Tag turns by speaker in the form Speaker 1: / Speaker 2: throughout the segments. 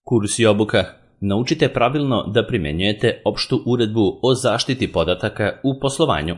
Speaker 1: Kurs i obuka. Naučite pravilno da primjenjujete opštu uredbu o zaštiti podataka u poslovanju.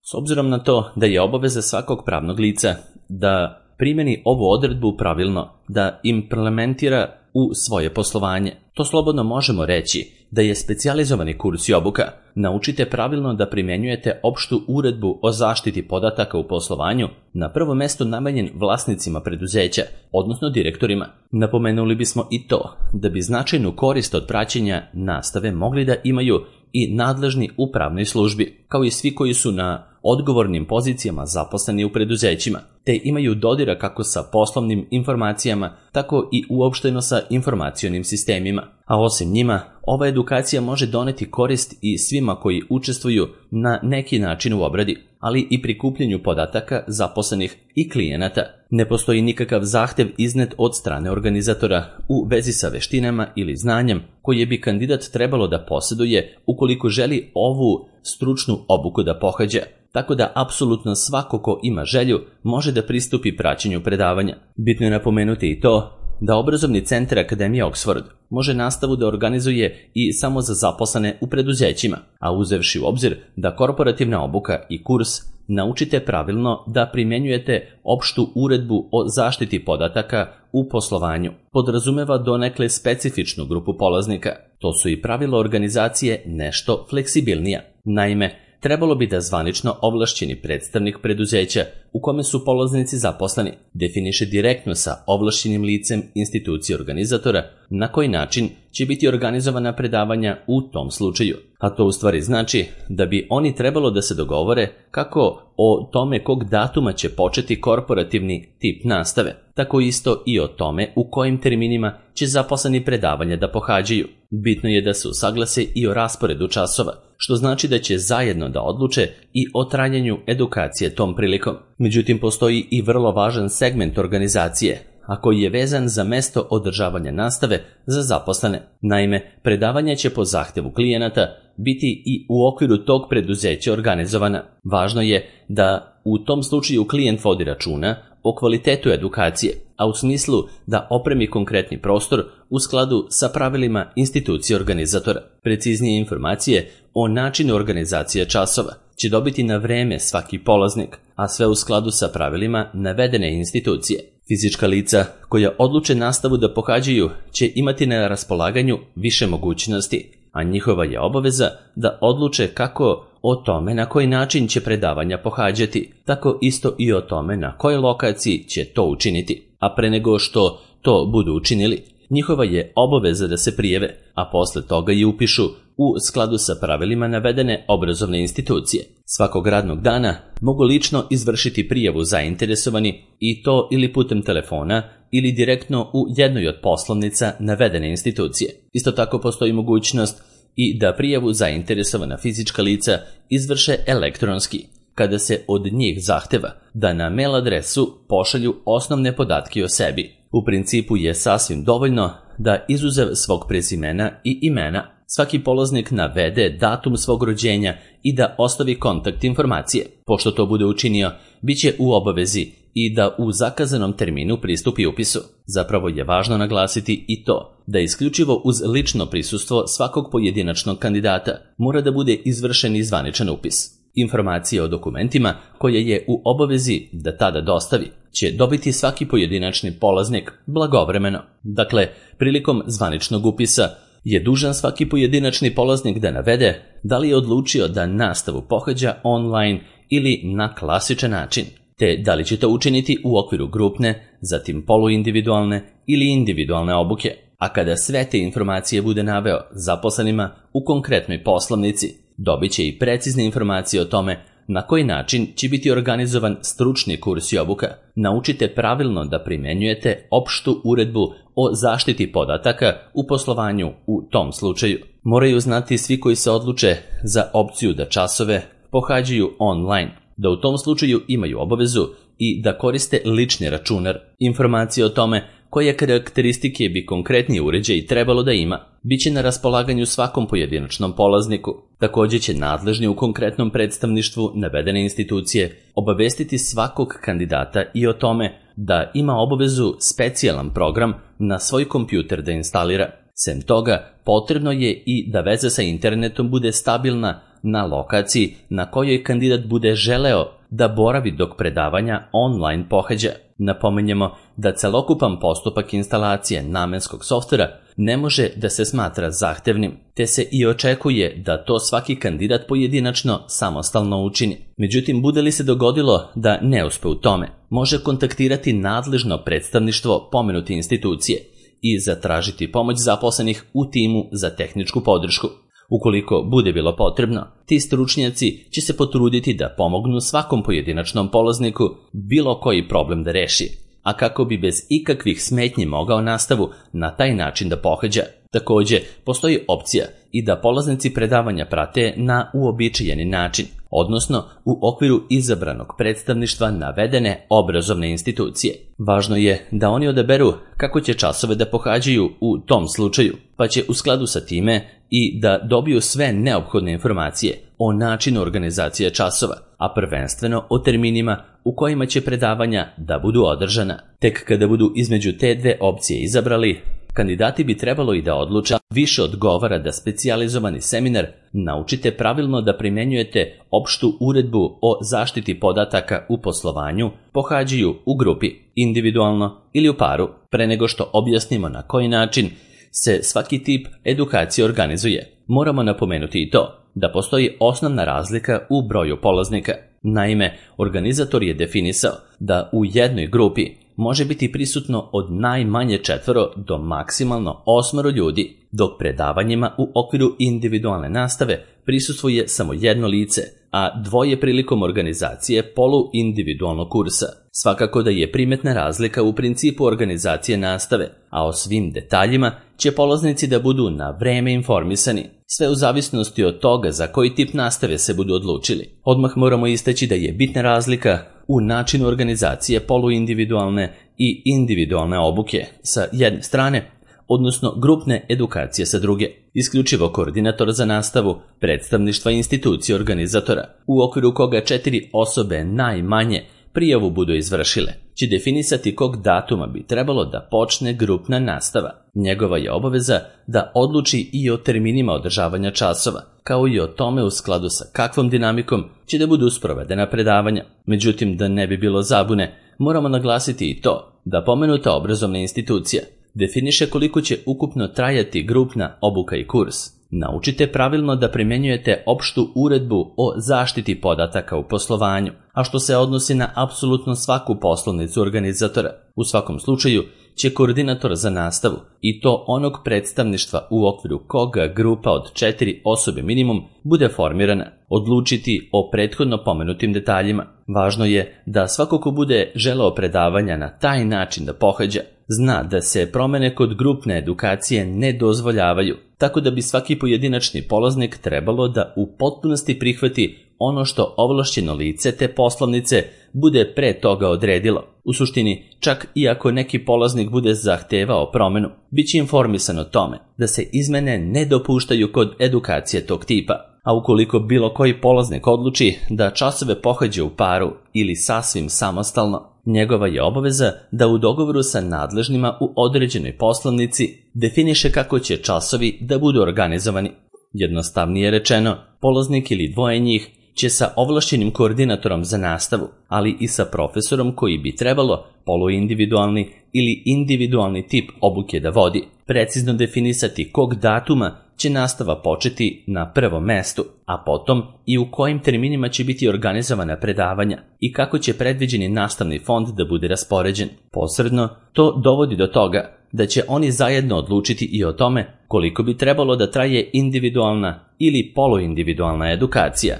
Speaker 1: S obzirom na to da je obaveza svakog pravnog lica da primjeni ovu odredbu pravilno, da implementira u svoje poslovanje, to slobodno možemo reći da je specijalizovani kurs i obuka. Naučite pravilno da primjenjujete opštu uredbu o zaštiti podataka u poslovanju na prvo mesto namenjen vlasnicima preduzeća, odnosno direktorima. Napomenuli bismo i to da bi značajnu korist od praćenja nastave mogli da imaju i nadležni u pravnoj službi, kao i svi koji su na odgovornim pozicijama zaposleni u preduzećima, te imaju dodira kako sa poslovnim informacijama, tako i uopšteno sa informacionim sistemima. A osim njima, ova edukacija može doneti korist i svima koji učestvuju na neki način u obradi, ali i prikupljanju podataka zaposlenih i klijenata. Ne postoji nikakav zahtev iznet od strane organizatora u vezi sa veštinama ili znanjem koje bi kandidat trebalo da posjeduje ukoliko želi ovu stručnu obuku da pohađa. Tako da apsolutno svako ko ima želju može da pristupi praćenju predavanja. Bitno je napomenuti i to da obrazovni centar Akademije Oxford može nastavu da organizuje i samo za zaposlene u preduzećima, a uzevši u obzir da korporativna obuka i kurs naučite pravilno da primjenjujete opštu uredbu o zaštiti podataka u poslovanju, podrazumeva donekle specifičnu grupu polaznika. To su i pravila organizacije nešto fleksibilnija. Naime, trebalo bi da zvanično ovlašćeni predstavnik preduzeća u kome su polaznici zaposleni definiše direktno sa ovlašćenim licem institucije organizatora na koji način će biti organizovana predavanja u tom slučaju. A to u stvari znači da bi oni trebalo da se dogovore kako o tome kog datuma će početi korporativni tip nastave, tako isto i o tome u kojim terminima će zaposleni predavanja da pohađaju. Bitno je da se usaglase i o rasporedu časova, što znači da će zajedno da odluče i o trajanju edukacije tom prilikom. Međutim, postoji i vrlo važan segment organizacije, a koji je vezan za mesto održavanja nastave za zaposlene. Naime, predavanja će po zahtevu klijenata biti i u okviru tog preduzeća organizovana. Važno je da u tom slučaju klijent vodi računa o kvalitetu edukacije, a u smislu da opremi konkretni prostor u skladu sa pravilima institucije organizatora. Preciznije informacije o načinu organizacije časova će dobiti na vreme svaki polaznik, a sve u skladu sa pravilima navedene institucije. Fizička lica koja odluče nastavu da pohađaju će imati na raspolaganju više mogućnosti, a njihova je obaveza da odluče kako o tome na koji način će predavanja pohađati, tako isto i o tome na kojoj lokaciji će to učiniti. A pre nego što to budu učinili, njihova je obaveza da se prijave, a posle toga i upišu u skladu sa pravilima navedene obrazovne institucije. Svakog radnog dana mogu lično izvršiti prijavu zainteresovani i to ili putem telefona ili direktno u jednoj od poslovnica navedene institucije. Isto tako postoji mogućnost i da prijavu zainteresovana fizička lica izvrše elektronski, kada se od njih zahteva da na mail adresu pošalju osnovne podatke o sebi. U principu je sasvim dovoljno da izuzev svog prezimena i imena svaki polaznik navede datum svog rođenja i da ostavi kontakt informacije. Pošto to bude učinio, bit će u obavezi i da u zakazanom terminu pristupi upisu. Zapravo je važno naglasiti i to da isključivo uz lično prisustvo svakog pojedinačnog kandidata mora da bude izvršen i zvaničan upis. Informacije o dokumentima koje je u obavezi da tada dostavi će dobiti svaki pojedinačni polaznik blagovremeno. Dakle, prilikom zvaničnog upisa je dužan svaki pojedinačni polaznik da navede da li je odlučio da nastavu pohađa online ili na klasičan način, te da li će to učiniti u okviru grupne, zatim poluindividualne ili individualne obuke. A kada sve te informacije bude naveo zaposlenima u konkretnoj poslovnici, dobit će i precizne informacije o tome na koji način će biti organizovan stručni kurs i obuka. Naučite pravilno da primjenjujete opštu uredbu o zaštiti podataka u poslovanju u tom slučaju. Moraju znati svi koji se odluče za opciju da časove pohađaju online, da u tom slučaju imaju obavezu i da koriste lični računar. Informacije o tome koje karakteristike bi konkretni uređaj trebalo da ima, bit će na raspolaganju svakom pojedinačnom polazniku. Također će nadležni u konkretnom predstavništvu navedene institucije obavestiti svakog kandidata i o tome da ima obavezu specijalan program na svoj kompjuter da instalira. Sem toga, potrebno je i da veza sa internetom bude stabilna na lokaciji na kojoj kandidat bude želeo da boravi dok predavanja online pohađa. Napominjemo da celokupan postupak instalacije namenskog softvera ne može da se smatra zahtevnim, te se i očekuje da to svaki kandidat pojedinačno samostalno učini. Međutim, bude li se dogodilo da ne uspe u tome, može kontaktirati nadležno predstavništvo pomenute institucije i zatražiti pomoć zaposlenih u timu za tehničku podršku. Ukoliko bude bilo potrebno, ti stručnjaci će se potruditi da pomognu svakom pojedinačnom polazniku bilo koji problem da reši, a kako bi bez ikakvih smetnji mogao nastavu na taj način da pohađa. Također, postoji opcija i da polaznici predavanja prate na uobičajeni način, odnosno u okviru izabranog predstavništva navedene obrazovne institucije. Važno je da oni odaberu kako će časove da pohađaju u tom slučaju, pa će u skladu sa time i da dobiju sve neophodne informacije o načinu organizacije časova, a prvenstveno o terminima u kojima će predavanja da budu održana. Tek kada budu između te dve opcije izabrali, kandidati bi trebalo i da odluče više odgovara da specijalizovani seminar naučite pravilno da primjenjujete opštu uredbu o zaštiti podataka u poslovanju, pohađaju u grupi, individualno ili u paru, pre nego što objasnimo na koji način se svaki tip edukacije organizuje. Moramo napomenuti i to da postoji osnovna razlika u broju polaznika. Naime, organizator je definisao da u jednoj grupi može biti prisutno od najmanje 4 do maksimalno 8 ljudi, dok predavanjima u okviru individualne nastave prisustvuje samo jedno lice, a 2 prilikom organizacije poluindividualnog kursa. Svakako da je primetna razlika u principu organizacije nastave, a o svim detaljima će polaznici da budu na vreme informisani, sve u zavisnosti od toga za koji tip nastave se budu odlučili. Odmah moramo istaći da je bitna razlika u načinu organizacije poluindividualne i individualne obuke sa jedne strane, odnosno grupne edukacije sa druge. Isključivo koordinator za nastavu predstavništva institucije organizatora, u okviru koga 4 osobe najmanje prijavu budu izvršile, će definisati kog datuma bi trebalo da počne grupna nastava. Njegova je obaveza da odluči i o terminima održavanja časova, kao i o tome u skladu sa kakvom dinamikom će da budu sprovedena predavanja. Međutim, da ne bi bilo zabune, moramo naglasiti i to da pomenuta obrazovna institucija definiše koliko će ukupno trajati grupna obuka i kurs. Naučite pravilno da primjenjujete opštu uredbu o zaštiti podataka u poslovanju, a što se odnosi na apsolutno svaku poslovnicu organizatora. U svakom slučaju će koordinator za nastavu, i to onog predstavništva u okviru koga grupa od 4 osobe minimum bude formirana, odlučiti o prethodno pomenutim detaljima. Važno je da svako ko bude želeo predavanja na taj način da pohađa, zna da se promene kod grupne edukacije ne dozvoljavaju, tako da bi svaki pojedinačni polaznik trebalo da u potpunosti prihvati ono što ovlašćeno lice te poslovnice bude pre toga odredilo. U suštini, čak i ako neki polaznik bude zahtevao promenu, bit će informisan o tome da se izmene ne dopuštaju kod edukacije tog tipa. A ukoliko bilo koji polaznik odluči da časove pohađa u paru ili sasvim samostalno, njegova je obaveza da u dogovoru sa nadležnima u određenoj poslovnici definiše kako će časovi da budu organizovani. Jednostavnije rečeno, polaznik ili 2 njih će sa ovlašćenim koordinatorom za nastavu, ali i sa profesorom koji bi trebalo poluindividualni ili individualni tip obuke da vodi, precizno definisati kog datuma će nastava početi na prvom mestu, a potom i u kojim terminima će biti organizovana predavanja i kako će predviđeni nastavni fond da bude raspoređen. Posredno, to dovodi do toga da će oni zajedno odlučiti i o tome koliko bi trebalo da traje individualna ili poluindividualna edukacija.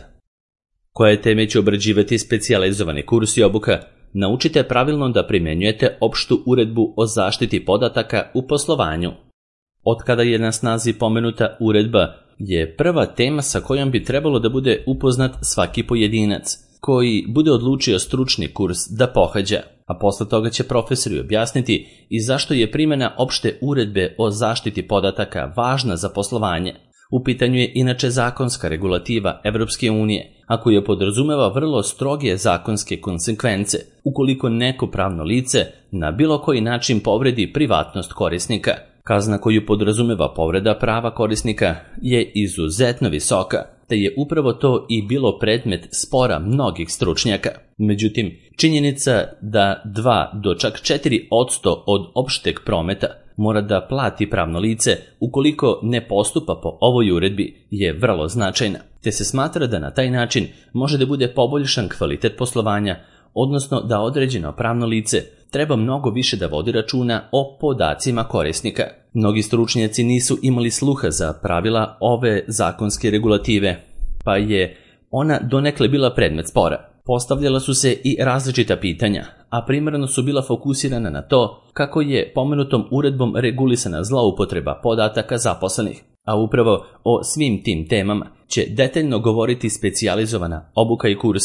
Speaker 1: Koje teme će obrađivati specijalizovani kurs i obuka? Naučite pravilno da primjenjujete opštu uredbu o zaštiti podataka u poslovanju. Otkada je na snazi pomenuta uredba je prva tema sa kojom bi trebalo da bude upoznat svaki pojedinac. koji bude odlučio stručni kurs da pohađa, a posle toga će profesori objasniti i zašto je primjena opšte uredbe o zaštiti podataka važna za poslovanje. U pitanju je inače zakonska regulativa Evropske unije, a koja podrazumeva vrlo stroge zakonske konsekvence ukoliko neko pravno lice na bilo koji način povredi privatnost korisnika. Kazna koju podrazumeva povreda prava korisnika je izuzetno visoka, te je upravo to i bilo predmet spora mnogih stručnjaka. Međutim, činjenica da 2 do čak 4% od opšteg prometa mora da plati pravno lice ukoliko ne postupa po ovoj uredbi je vrlo značajna, te se smatra da na taj način može da bude poboljšan kvalitet poslovanja, odnosno da određeno pravno lice treba mnogo više da vodi računa o podacima korisnika. Mnogi stručnjaci nisu imali sluha za pravila ove zakonske regulative, pa je ona donekle bila predmet spora. Postavljala su se i različita pitanja, a primarno su bila fokusirana na to kako je pomenutom uredbom regulisana zloupotreba podataka zaposlenih. A upravo o svim tim temama će detaljno govoriti specijalizovana obuka i kurs.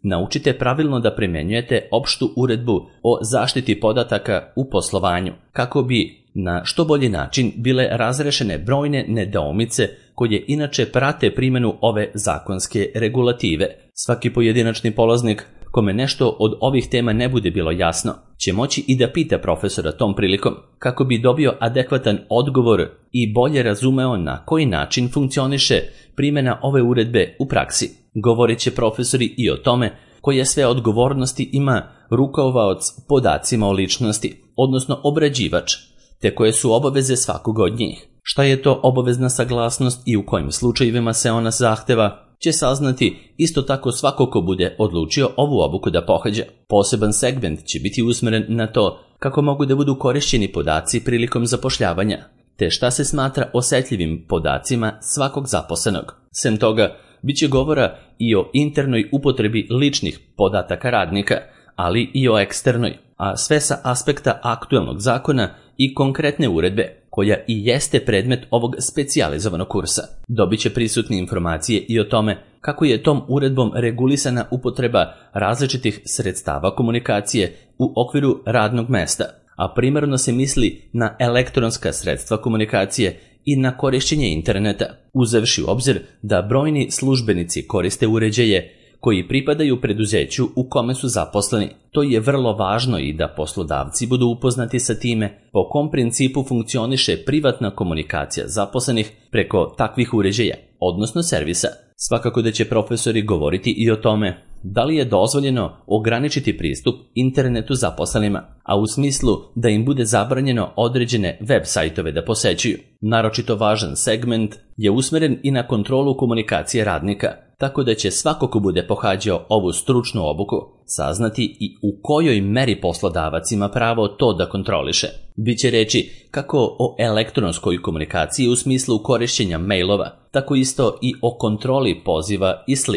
Speaker 1: Naučite pravilno da primenjujete opštu uredbu o zaštiti podataka u poslovanju, kako bi na što bolji način bile razrešene brojne nedoumice koje inače prate primjenu ove zakonske regulative. Svaki pojedinačni polaznik kome nešto od ovih tema ne bude bilo jasno, će moći i da pita profesora tom prilikom, kako bi dobio adekvatan odgovor i bolje razumeo na koji način funkcioniše primjena ove uredbe u praksi. Govorit će profesori i o tome koje sve odgovornosti ima rukovaoc podacima o ličnosti, odnosno obrađivač, te koje su obaveze svakog od njih. Šta je to obavezna saglasnost i u kojim slučajevima se ona zahteva, će saznati isto tako svako ko bude odlučio ovu obuku da pohađa. Poseban segment će biti usmeren na to kako mogu da budu korišćeni podaci prilikom zapošljavanja, te šta se smatra osetljivim podacima svakog zaposlenog. Sem toga, bit će govora i o internoj upotrebi ličnih podataka radnika, ali i o eksternoj, a sve sa aspekta aktuelnog zakona i konkretne uredbe, koja i jeste predmet ovog specijalizovanog kursa. Dobit će prisutne informacije i o tome kako je tom uredbom regulisana upotreba različitih sredstava komunikacije u okviru radnog mesta, a primarno se misli na elektronska sredstva komunikacije i na korišćenje interneta, uzevši u obzir da brojni službenici koriste uređaje koji pripadaju preduzeću u kome su zaposleni. To je vrlo važno i da poslodavci budu upoznati sa time po kom principu funkcioniše privatna komunikacija zaposlenih preko takvih uređaja, odnosno servisa. Svakako da će profesori govoriti i o tome da li je dozvoljeno ograničiti pristup internetu zaposlenima, a u smislu da im bude zabranjeno određene web sajtove da posećuju. Naročito važan segment je usmeren i na kontrolu komunikacije radnika, tako da će svako ko bude pohađao ovu stručnu obuku saznati i u kojoj meri poslodavac ima pravo to da kontroliše. Biće reči kako o elektronskoj komunikaciji u smislu korišćenja mailova, tako isto i o kontroli poziva i sl.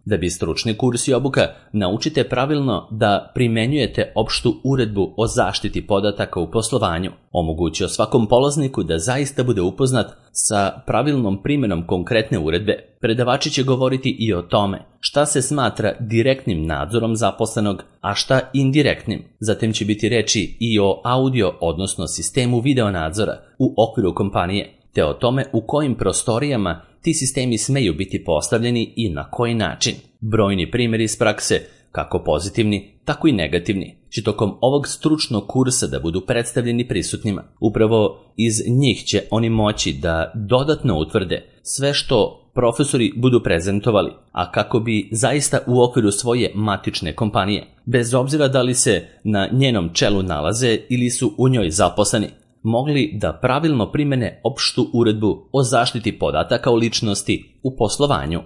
Speaker 1: Da bi stručni kurs i obuka naučite pravilno da primenjujete opštu uredbu o zaštiti podataka u poslovanju, omogućio svakom polazniku da zaista bude upoznat sa pravilnom primjenom konkretne uredbe. Predavači će govoriti i o tome šta se smatra direktnim nadzorom zaposlenog, a šta indirektnim. Zatim će biti reči i o audio, odnosno sistemu video nadzora u okviru kompanije, te o tome u kojim prostorijama ti sistemi smeju biti postavljeni i na koji način. Brojni primjeri iz prakse, kako pozitivni, tako i negativni, će tokom ovog stručnog kursa da budu predstavljeni prisutnima. Upravo iz njih će oni moći da dodatno utvrde sve što profesori budu prezentovali, a kako bi zaista u okviru svoje matične kompanije, bez obzira da li se na njenom čelu nalaze ili su u njoj zaposleni, mogli da pravilno primene opštu uredbu o zaštiti podataka o ličnosti u poslovanju.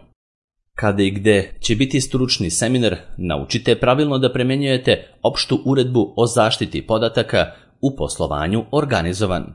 Speaker 1: Kada i gde će biti stručni seminar, naučite pravilno da primenjujete opštu uredbu o zaštiti podataka u poslovanju organizovan.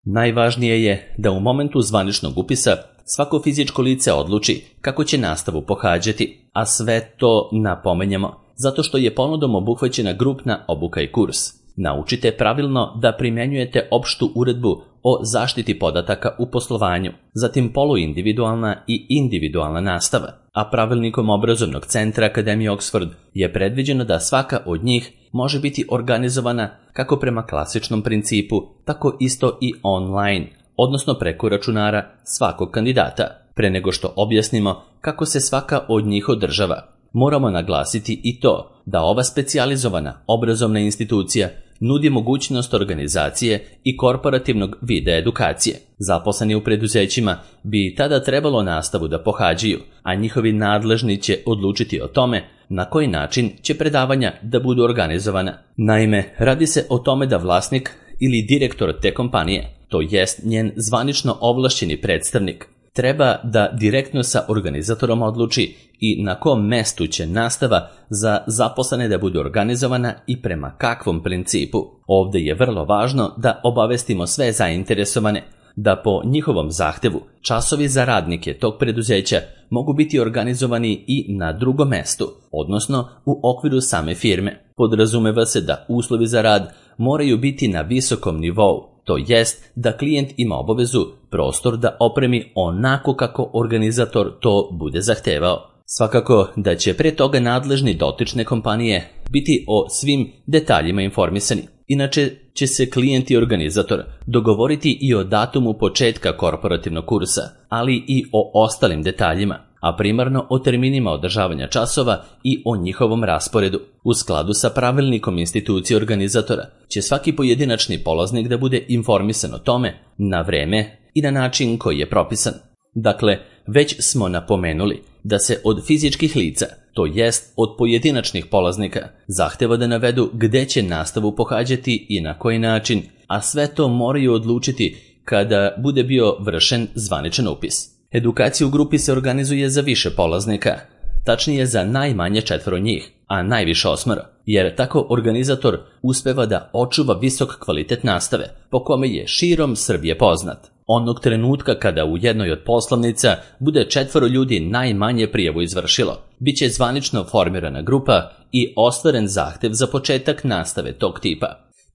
Speaker 1: Najvažnije je da u momentu zvaničnog upisa svako fizičko lice odluči kako će nastavu pohađati, a sve to napomenjemo zato što je ponudom obuhvaćena grupna obuka i kurs. Naučite pravilno da primjenjujete opštu uredbu o zaštiti podataka u poslovanju, zatim poluindividualna i individualna nastava, a pravilnikom obrazovnog centra Akademije Oxford je predviđeno da svaka od njih može biti organizovana kako prema klasičnom principu, tako isto i online, odnosno preko računara svakog kandidata. Pre nego što objasnimo kako se svaka od njih održava, moramo naglasiti i to da ova specijalizovana obrazovna institucija nudi mogućnost organizacije i korporativnog vida edukacije. Zaposleni u preduzećima bi tada trebalo nastavu da pohađaju, a njihovi nadležni će odlučiti o tome na koji način će predavanja da budu organizovana. Naime, radi se o tome da vlasnik ili direktor te kompanije, to jest njen zvanično ovlašćeni predstavnik, treba da direktno sa organizatorom odluči i na kom mestu će nastava za zaposlene da bude organizovana i prema kakvom principu. Ovde je vrlo važno da obavestimo sve zainteresovane da po njihovom zahtevu časovi za radnike tog preduzeća mogu biti organizovani i na drugom mestu, odnosno u okviru same firme. Podrazumeva se da uslovi za rad moraju biti na visokom nivou, to jest da klijent ima obavezu prostor da opremi onako kako organizator to bude zahtevao. Svakako da će pre toga nadležni dotične kompanije biti o svim detaljima informisani. Inače će se klijent i organizator dogovoriti i o datumu početka korporativnog kursa, ali i o ostalim detaljima, a primarno o terminima održavanja časova i o njihovom rasporedu. U skladu sa pravilnikom institucije organizatora će svaki pojedinačni polaznik da bude informisan o tome na vreme i na način koji je propisan. Dakle, već smo napomenuli da se od fizičkih lica, to jest od pojedinačnih polaznika, zahteva da navedu gde će nastavu pohađati i na koji način, a sve to moraju odlučiti kada bude bio vršen zvaničan upis. Edukacija u grupi se organizuje za više polaznika, tačnije za najmanje 4 njih, a najviše 8, jer tako organizator uspeva da očuva visok kvalitet nastave, po kome je širom Srbije poznat. Onog trenutka kada u jednoj od poslovnica bude 4 ljudi najmanje prijavu izvršilo, bit će zvanično formirana grupa i ostvaren zahtev za početak nastave tog tipa.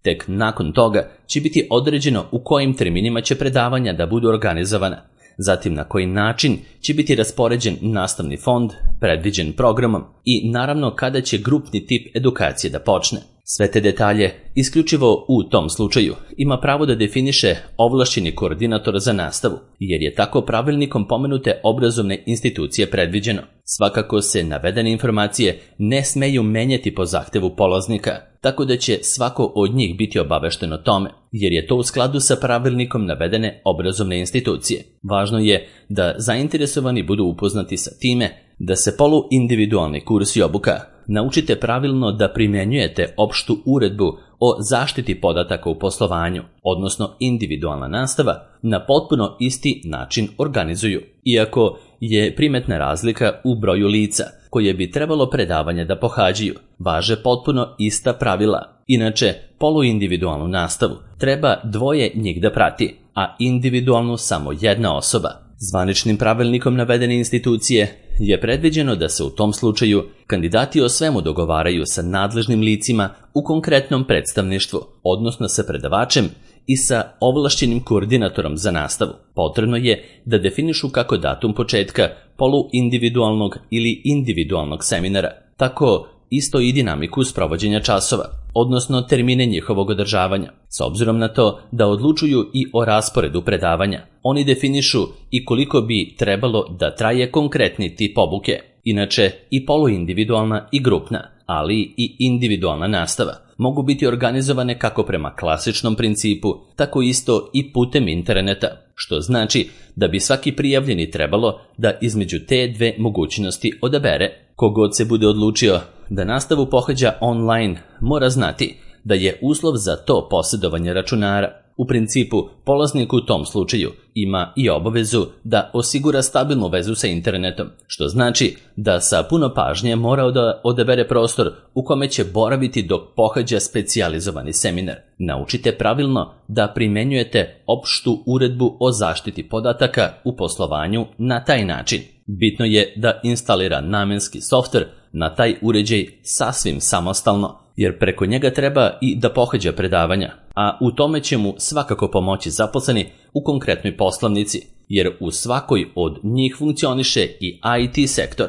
Speaker 1: Tek nakon toga će biti određeno u kojim terminima će predavanja da budu organizovana, zatim na koji način će biti raspoređen nastavni fond predviđen programom i naravno kada će grupni tip edukacije da počne. Sve te detalje, isključivo u tom slučaju, ima pravo da definiše ovlašćeni koordinator za nastavu, jer je tako pravilnikom pomenute obrazovne institucije predviđeno. Svakako se navedene informacije ne smeju menjati po zahtevu polaznika, tako da će svako od njih biti obavešten o tome, jer je to u skladu sa pravilnikom navedene obrazovne institucije. Važno je da zainteresovani budu upoznati sa time da se poluindividualni kurs i obuka naučite pravilno da primjenjujete opštu uredbu o zaštiti podataka u poslovanju, odnosno individualna nastava, na potpuno isti način organizuju. Iako je primetna razlika u broju lica koje bi trebalo predavanja da pohađaju, važe potpuno ista pravila. Inače, poluindividualnu nastavu treba 2 njih da prati, a individualnu samo 1 osoba. Zvaničnim pravilnikom navedene institucije je predviđeno da se u tom slučaju kandidati o svemu dogovaraju sa nadležnim licima u konkretnom predstavništvu, odnosno sa predavačem i sa ovlašćenim koordinatorom za nastavu. Potrebno je da definišu kako datum početka poluindividualnog ili individualnog seminara, tako isto i dinamiku sprovođenja časova, odnosno termine njihovog održavanja. S obzirom na to da odlučuju i o rasporedu predavanja, oni definišu i koliko bi trebalo da traje konkretni tip obuke. Inače, i poluindividualna i grupna, ali i individualna nastava mogu biti organizovane kako prema klasičnom principu, tako isto i putem interneta, što znači da bi svaki prijavljeni trebalo da između te 2 mogućnosti odabere. Kogod se bude odlučio da nastavu pohađa online, mora znati da je uslov za to posjedovanje računara. U principu, polaznik u tom slučaju ima i obavezu da osigura stabilnu vezu sa internetom, što znači da sa puno pažnje mora da odabere prostor u kome će boraviti dok pohađa specijalizovani seminar. Naučite pravilno da primenjujete opštu uredbu o zaštiti podataka u poslovanju na taj način. Bitno je da instalira namenski softver na taj uređaj sasvim samostalno, jer preko njega treba i da pohađa predavanja, a u tome će mu svakako pomoći zaposleni u konkretnoj poslovnici, jer u svakoj od njih funkcioniše i IT sektor.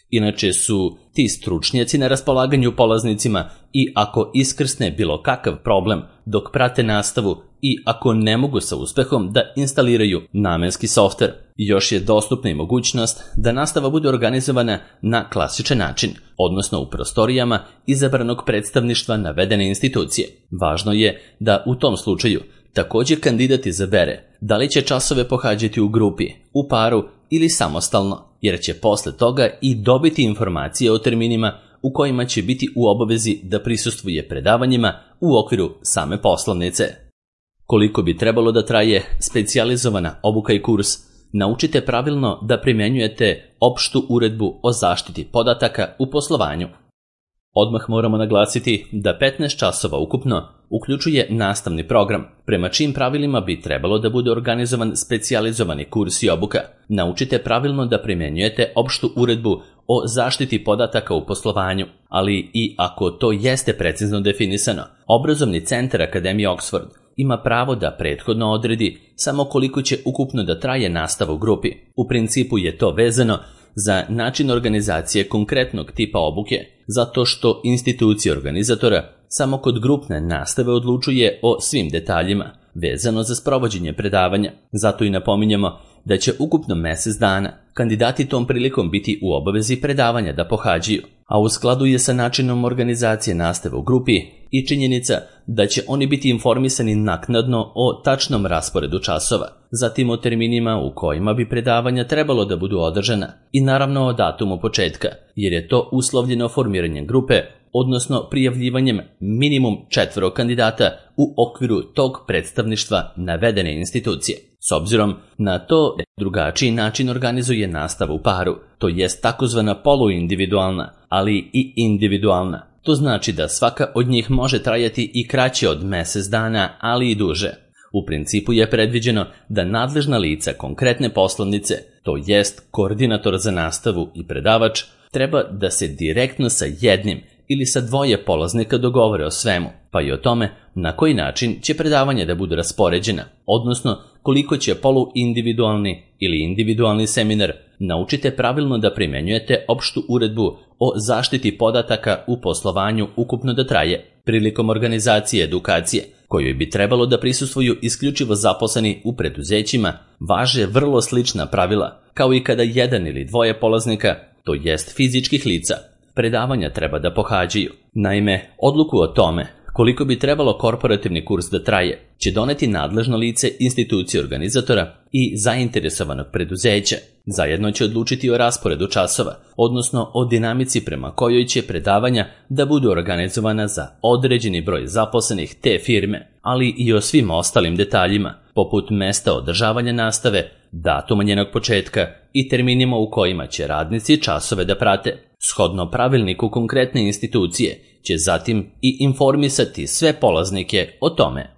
Speaker 1: Inače su ti stručnjaci na raspolaganju polaznicima i ako iskrsne bilo kakav problem dok prate nastavu i ako ne mogu sa uspehom da instaliraju namenski softver. Još je dostupna i mogućnost da nastava bude organizovana na klasičan način, odnosno u prostorijama izabranog predstavništva navedene institucije. Važno je da u tom slučaju također kandidat izabere da li će časove pohađati u grupi, u paru ili samostalno, jer će posle toga i dobiti informacije o terminima u kojima će biti u obavezi da prisustvuje predavanjima u okviru same poslovnice. Koliko bi trebalo da traje specijalizovana obuka i kurs, naučite pravilno da primjenjujete opštu uredbu o zaštiti podataka u poslovanju. Odmah moramo naglasiti da 15 časova ukupno uključuje nastavni program, prema čijim pravilima bi trebalo da bude organizovan specijalizovani kurs i obuka. Naučite pravilno da primjenjujete opštu uredbu o zaštiti podataka u poslovanju, ali i ako to jeste precizno definisano, obrazovni centar Akademije Oxford ima pravo da prethodno odredi samo koliko će ukupno da traje nastava u grupi. U principu je to vezano za način organizacije konkretnog tipa obuke, zato što institucija organizatora samo kod grupne nastave odlučuje o svim detaljima vezano za sprovođenje predavanja. Zato i napominjemo da će ukupno mjesec dana kandidati tom prilikom biti u obavezi predavanja da pohađaju, a u skladu je sa načinom organizacije nastave u grupi i činjenica da će oni biti informisani naknadno o tačnom rasporedu časova, zatim o terminima u kojima bi predavanja trebalo da budu održana i naravno o datumu početka, jer je to uslovljeno formiranjem grupe, odnosno prijavljivanjem minimum 4 kandidata u okviru tog predstavništva navedene institucije. S obzirom na to drugačiji način organizuje nastavu u paru, to jest takozvana poluindividualna, ali i individualna. To znači da svaka od njih može trajati i kraće od mjesec dana, ali i duže. U principu je predviđeno da nadležna lica konkretne poslovnice, to jest koordinator za nastavu i predavač, treba da se direktno sa jednim ili sa 2 polaznika dogovore o svemu, pa i o tome na koji način će predavanje da budu raspoređena, odnosno koliko će poluindividualni ili individualni seminar. Naučite pravilno da primjenjujete opštu uredbu o zaštiti podataka u poslovanju ukupno da traje. Prilikom organizacije edukacije, kojoj bi trebalo da prisustvuju isključivo zaposleni u preduzećima, važe vrlo slična pravila, kao i kada 1 ili 2 polaznika, to jest fizičkih lica, predavanja treba da pohađaju. Naime, odluku o tome koliko bi trebalo korporativni kurs da traje će doneti nadležno lice institucije organizatora i zainteresovanog preduzeća. Zajedno će odlučiti o rasporedu časova, odnosno o dinamici prema kojoj će predavanja da budu organizovana za određeni broj zaposlenih te firme, ali i o svim ostalim detaljima, poput mesta održavanja nastave, datuma njenog početka i terminima u kojima će radnici časove da prate. Shodno pravilniku konkretne institucije će zatim i informisati sve polaznike o tome.